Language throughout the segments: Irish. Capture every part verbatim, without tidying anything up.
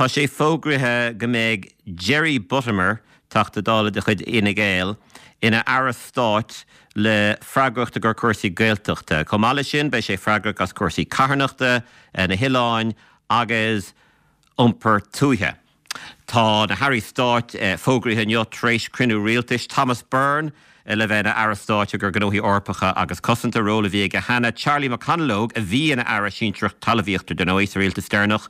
Tá sé fógraithe go mbeidh Jerry Buttimer, Teachta Dála de chuid Fhine Gael, ina aire stáit le freagracht i gcomhair cúrsaí Gaeltachta. Chomh maith leis sin, beidh sé freagrach as cúrsaí carthanachta, na hoileáin agus iompar tuaithe. Tá na hairí stáit fógraithe inniu tar éis cruinniú rialtais. Thomas Byrne le bheith ina aire stáit i gcomhair gnóthaí Eorpacha agus cosanta, ról a bhí aige cheana. Charlie McConalogue, a bhí ina aire sinsearach talmhaíochta dar ndóigh sa rialtas deireanach,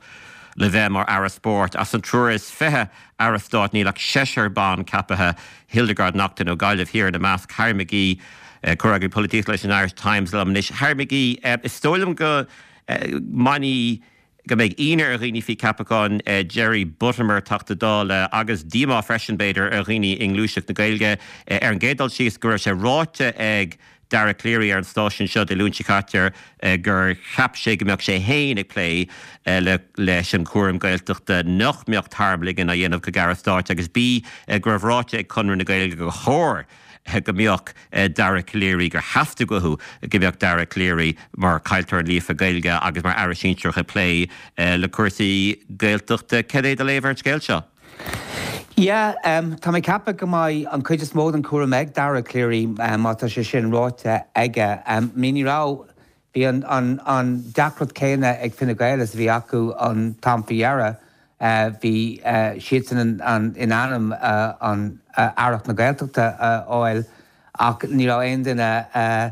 le bheith mar aire spóirt. As an triúr is fiche aire stáit, níl ach seisear ban ceaptha, Hildegarde Naughton ó Gaillimh Thiar ina measc. Harry McGee, comhfhreagraí polaitíochta leis an Irish Times, liom anois. Harry McGee, is dóigh liom go mbainfidh go mbeidh ionadh ar dhaoine faoi cheapachán Jerry Buttimer, Teachta Dála, agus díomá freisin, b'fhéidir, ar dhaoine i ngluaiseacht na Gaeilge. Ar an gcéad dul síos, go raibh sé ráite ag Dara Calleary ar an stáisiún seo Dé Luain seo caite gur cheap sé go mbeadh sé féin ag plé le leis an chúram Gaeltachta, nach mbeadh tarmligean á dhéanamh chuig Aire Stáit, agus B, go raibh ráite ag Conradh na Gaeilge gur chóir go mbeadh Dara Calleary, gur theastaigh uathu go mbeadh Dara Calleary mar chainteoir líofa Gaeilge agus mar aire sinsearach ag plé le cúrsaí Gaeltachta. Cad é do léamh ar an scéal seo? Yeah, um, tá mé ceapadh go mbeidh an chuid is mó den chúram ag Dara Calleary um, má tá sé sin ráite aige. Um, ní ní raibh bhí an, an, an deacracht céanna ag Fine Gael is a bhí acu an t-am faoi dheireadh. Uh, bhí uh, siadsan an, an, in ainm uh, an uh, Aireacht na Gaeltachta a fháil, ach ní raibh aon duine uh,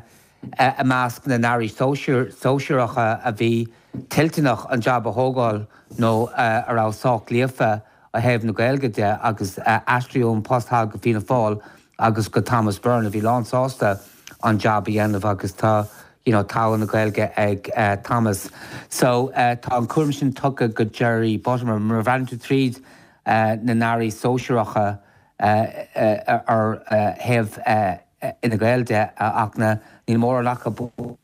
uh, i measc na n-airí sóisearacha a bhí toilteanach an jab a thógáil nó uh, a raibh sách líofa ó thaobh na Gaeilge de, agus uh, aistríodh an post go Fianna Fáil agus go Thomas Byrne, a bhí lán sásta an jab a dhéanamh, agus tá you know, tá na Gaeilge ag uh, Thomas. So uh, tá an cúram sin tugtha go Jerry Buttimer. Mar bhreathnaíonn tú tríd uh, na n-airí sóisearacha uh, uh, ar uh, thaobh uh, Fhine Gael de, uh, ach na níl mórán acu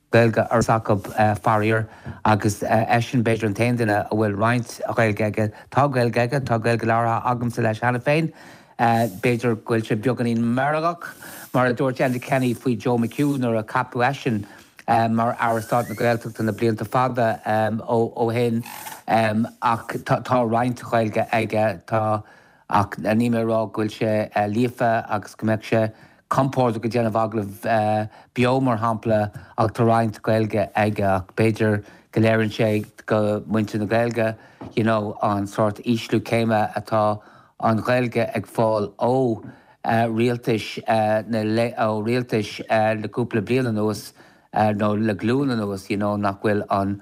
Gaeilge ar acu, uh, faraor, agus uh, eisean b'fhéidir an t-aon duine a bhfuil roinnt Gaeilge aige. Tá Gaeilge aige, tá Gaeilge labhartha agamsa leis cheana féin. Uh, b'fhéidir go bhfuil sé beagáinín meirgeach, mar a dúirt Enda Kenny faoi Joe McHugh nuair a ceapadh eisean um, mar Aire Stáit na Gaeltachta na blianta fada um, ó, ó shin, um, ach tá, tá roinnt Gaeilge aige, tá, ach ní mé rá go bhfuil sé uh, líofa agus go mbeadh sé compordach ag déanamh agallamh uh, beo, mar shampla, ach tá roinnt Gaeilge aige, ach b'fhéidir go léiríonn sé go muintir na Gaeilge you know, an sórt ísliú céime atá an Ghaeilge ag fáil ó uh, rialtais uh, na le ó rialtais uh, le cúpla bliain anuas uh, nó le glúin anuas, you know, nach bhfuil an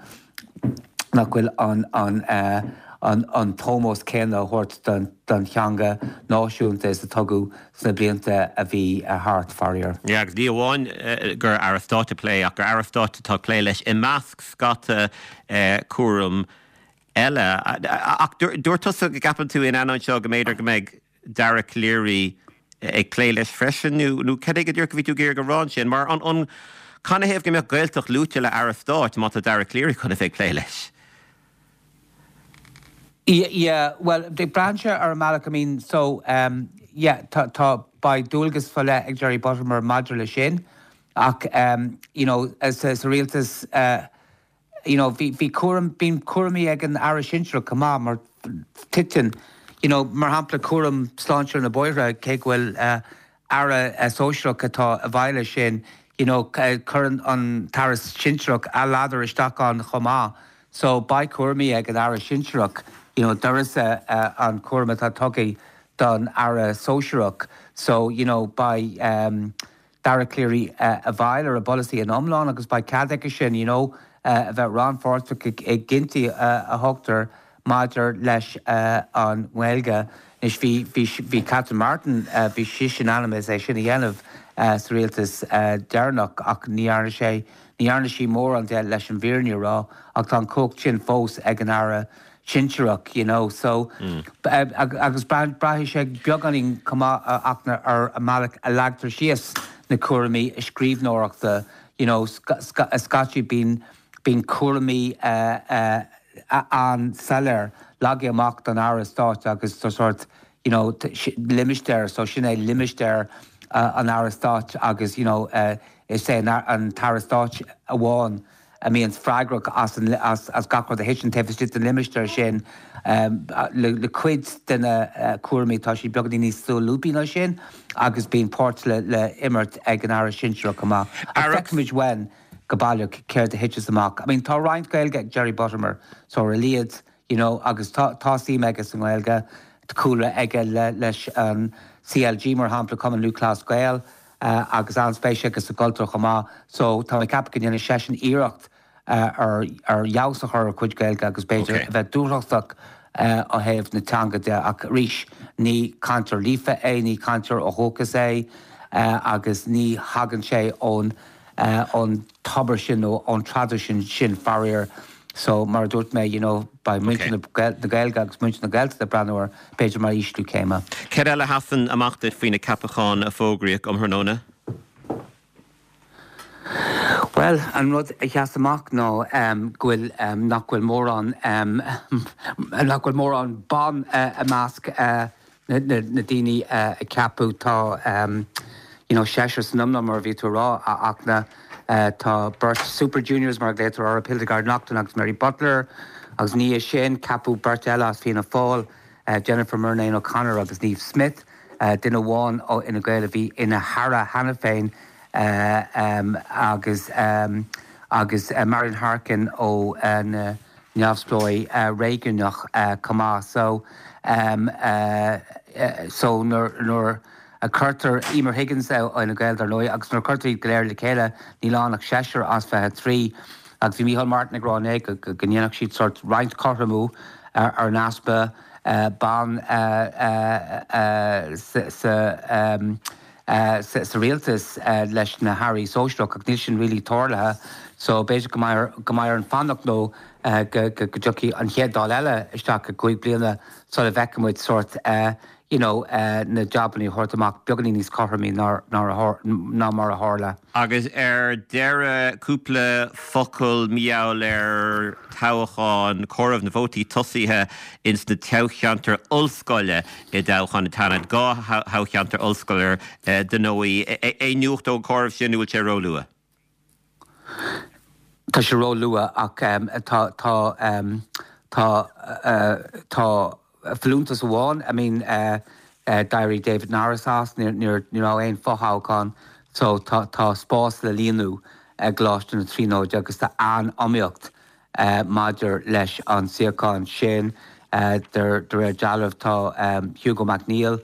nach bhfuil an an uh, an, an t-ómós céanna á thabhairt don, don teanga náisiúnta is a tugadh sna blianta a bhí a thart, faraor. Ja, agus ní amháin gur aire stáit ag plé, ach gur aire stáit atá ag plé leis i measc scata cúram eile. Ach dúirt tusa go gceapann tú in ainneoin seo go mb'fhéidir go mbeidh Dara Calleary ag plé leis freisin, nó nó cad é go dúirt go bhí tú ag rá ansin, mar an an canathaobh go mbeadh Gaeltacht luaite le aire stáit má tá Dara Calleary chun a bheith ag plé leis? Yeah, yeah, well, de branche ar an mbealach, I mean, so um, yeah, tá tá beidh dualgas faoi leith ag Jerry Buttimer maidir le sin, ach um, you know, as sa rialtas uh, you know, bhí bhí cúram bíonn cúraimí ag an aire sinsearach chomh maith, mar titeann you know, mar shampla cúram sláinte na bóithre, cé go bhfuil uh, aire uh, sóisearach atá i bhfeighil sin, you know, cuireann an t-aire sinsearach a ladar isteach ann chomh maith. So beidh cúraimí ag an aire sinsearach you know, d'uireasa uh, an cúram atá tugtha don aire sóisearach. So you know, beidh um, Dara Calleary uh, i bhfeighil ar an bpolasaí in iomlán, agus beidh cead aige sin you know, uh, a bheith rannpháirteach i gcinntí uh, a thógtar maidir leis uh, an nGaeilge. Anois bhí bhí bhí Catherine Martin, uh, bhí sí in ainm is é sin a dhéanamh uh, sa rialtas uh, deireanach, ach ní dhearna sé ní dhearna sí mórán de, leis an bhfírinne a rá, ach tá an chumhacht sin fós ag an aire sinsearach you know so mm. agus braithfidh sé beagáinín chomh maith ach ar an mbealach a leagtar síos na cúraimí scríbhneoireachta you know Scaití bíonn bíonn cúraimí uh, uh, an-soiléir leagtha amach don aire stáit agus tá sort you know limistéar, so sin é limistéar uh, an aire stáit, agus you know uh, is é an t-aire stáit amháin. a mbíonn freagrach as, an, as, as gach rud a thiteann taobh istigh den limistéar sin um, le, le cuid de na uh, cúraimí tá sí beagáinín níos solúbtha ná sin agus bíonn páirt le, le imirt ag an aire sinsearach chomh maith. Feicfimid uainn go baileach céard a thiteas amach. I mean, tá roinnt Gaeilge ag Jerry Buttimer so ar a laghad you know, agus tá, tá suim aige sa nGaeilge cúlra aige le, leis an CLG mar shampla Cumann Lúthchleas Gael uh, agus an-spéis aige sa gcultúr chomh maith, so tá mé ag ceapadh go ndéanfaidh seisean iarracht uh, ar ar fheabhas a chur ar chuid Gaeilge agus b'fhéidir okay. bheith dúthrachtach uh, ó thaobh na teanga de ach arís ní cainteoir líofa é ní cainteoir ó dhúchas é uh, agus ní thagann sé ón uh, ón tobar sin nó ón traidisiún sin faraor. So mar dúirt mé you know, beidh muintir okay. na Gaeilge agus muintir na Gaeltachta ag breathnú air b'fhéidir mar ísliú céime. Céard eile a sheasann amach duit faoi na ceapacháin a fógraíodh um thráthnóna? Well, an rud a sheas amach ná um, go bhfuil um, nach bhfuil mórán um, nach bhfuil mórán ban uh, i measc uh, na, na, na daoine uh, a ceapadh tá um, you know, seisear san iomlán mar bhí tú ag rá a achna uh, tá beirt Super Juniors mar glaotar orthu Hildegarde Naughton agus Mary Butler agus ní sin ceapadh beirt eile as Fianna Fáil uh, Jennifer Murnane O'Connor agus Niamh Smyth uh, duine amháin ó Fhine Gael a bhí ina haire cheana féin uh, um, agus um, agus uh, Marian Harkin ó uh, na neamhspleáigh uh, réigiúnach uh, chomh maith so um, uh, uh, so nuair a cuirtear Emer Higgins ó Fhine Gael dar ndóigh agus nuair a cuirtear iad go léir le chéile níl ann ach seisear as fiche trí agus bhí Micheál Martin ag rá go go ndéanfadh siad sort roinnt cothromú ar ar an easpa uh, ban uh, uh, uh, sa, sa, um, uh, sa, sa rialtas uh, leis na hairí sóisearach ach níl sin really tarlaithe so b'fhéidir go mbeidh go mbeidh orainn fanacht nó uh, go go go dtiocfaidh an chéad Dáil eile isteach i gcúig bliana sula bhfeicfimid sort uh, you know, uh, na jabanna á thabhairt amach beagáinín níos cothromaí ná ná mar a tharla. Agus ar deireadh cúpla focal mar gheall ar toghchán comhaireamh na vótaí tosaithe ins na toghcheantair ollscoile i dtoghchán an tSeanaid dhá thoghcheantar ollscoile dar ndóigh aon nuacht ón gcomhaireamh sin bhfuil sé róluath. Tá sé róluath ach um, tá tá um, tá uh, tá folúntas amháin I mean uh, uh, d'éirigh David Norris as ní raibh aon fothoghchán so tá tá spás le líonadh i gColáiste na Tríonóide agus tá an-iomaíocht uh, maidir leis an suíochán sin uh, de réir dealraimh tá um, Hugo McNeill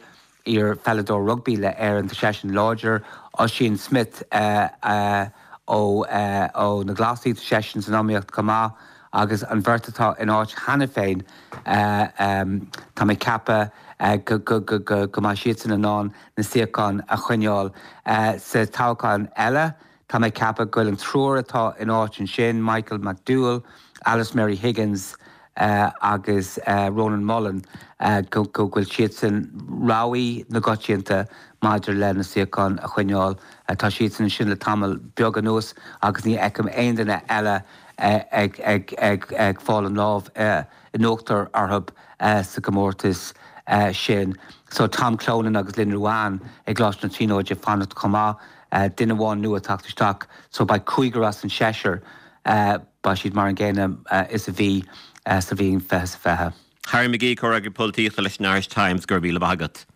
iar-pheileadóir rugbaí le Éirinn tá seisean láidir Ossian Smyth uh, uh, ó uh, ó na Glasaigh seisean san iomaíocht chomh maith agus an bheirt atá in áit cheana féin uh, um, tá mé ag ceapadh uh, go, go, go, go, go mbeidh siadsan in ann na suíocháin a choinneáil uh, sa toghchán eile, Tá mé ag ceapadh go bhfuil an triúr atá in áit ansin Michael McDowell, Alice Mary Higgins uh, agus uh, Ronan Mullen uh, go go bhfuil siadsan rogha na coitianta maidir le na suíocháin a choinneáil uh, tá siadsan sin le tamall beag anuas agus ní fheicim aon duine eile ag ag ag ag fáil an lámh uh, in uachtar orthu uh, sa gcomórtas uh, sin. So Tom Clonan agus Lynn Ruane ag Coláiste na Tríonóide fanacht chomh maith uh, duine amháin nua teacht isteach, so beidh cúigear as an seisear uh, beidh siad mar an gcéanna uh, is a bhí uh, sa bhliain fiche fiche. Harry McGee comhfhreagraí polaitíochta leis an Irish Times go raibh míle maith agat.